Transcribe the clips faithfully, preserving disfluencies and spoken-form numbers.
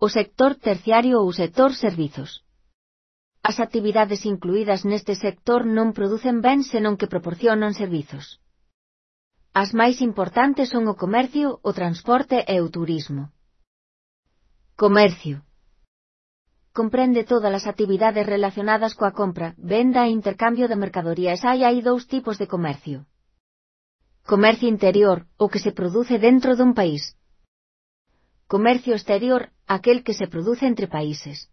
o sector terciario ou sector servizos. As actividades incluídas neste sector non producen bens senón que proporcionan servizos. As máis importantes son o comercio, o transporte e o turismo. Comercio. Comprende todas as actividades relacionadas coa compra, venda e intercambio de mercadorías. Hai hai dous tipos de comercio. Comercio interior, o que se produce dentro dun país. Comercio exterior, aquel que se produce entre países.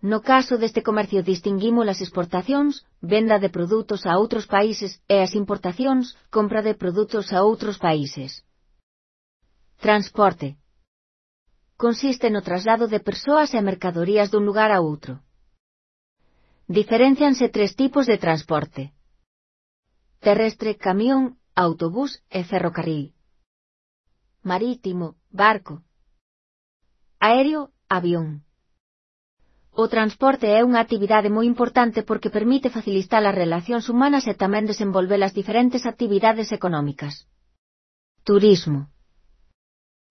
No caso deste comercio distinguimos as exportacións, venda de produtos a outros países, e as importacións, compra de produtos a outros países. Transporte. Consiste no traslado de persoas e mercadorías dun lugar a outro. Diferéncianse tres tipos de transporte: terrestre, camión, autobús e ferrocarril. Marítimo, barco. Aéreo, avión. O transporte é unha actividade moi importante porque permite facilitar as relacións humanas e tamén desenvolver as diferentes actividades económicas. Turismo.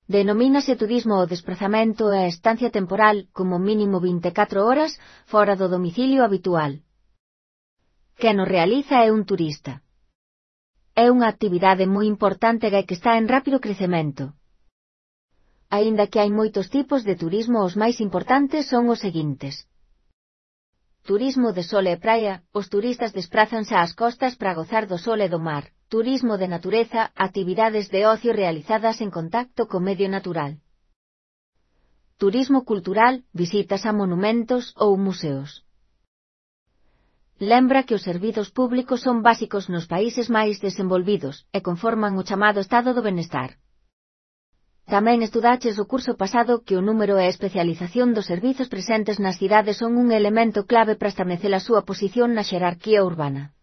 Denomínase turismo o desprazamento e a estancia temporal, como mínimo vinte e catro horas, fora do domicilio habitual. Quen o realiza é un turista. É unha actividade moi importante e que está en rápido crecemento. Aínda que hai moitos tipos de turismo, os máis importantes son os seguintes. Turismo de sol e praia, os turistas desprázanse ás costas para gozar do sol e do mar. Turismo de natureza, actividades de ocio realizadas en contacto co medio natural. Turismo cultural, visitas a monumentos ou museos. Lembra que os servizos públicos son básicos nos países máis desenvolvidos e conforman o chamado estado do benestar. Tamén estudaches o curso pasado que o número e a especialización dos servizos presentes nas cidades son un elemento clave para establecer a súa posición na xerarquía urbana.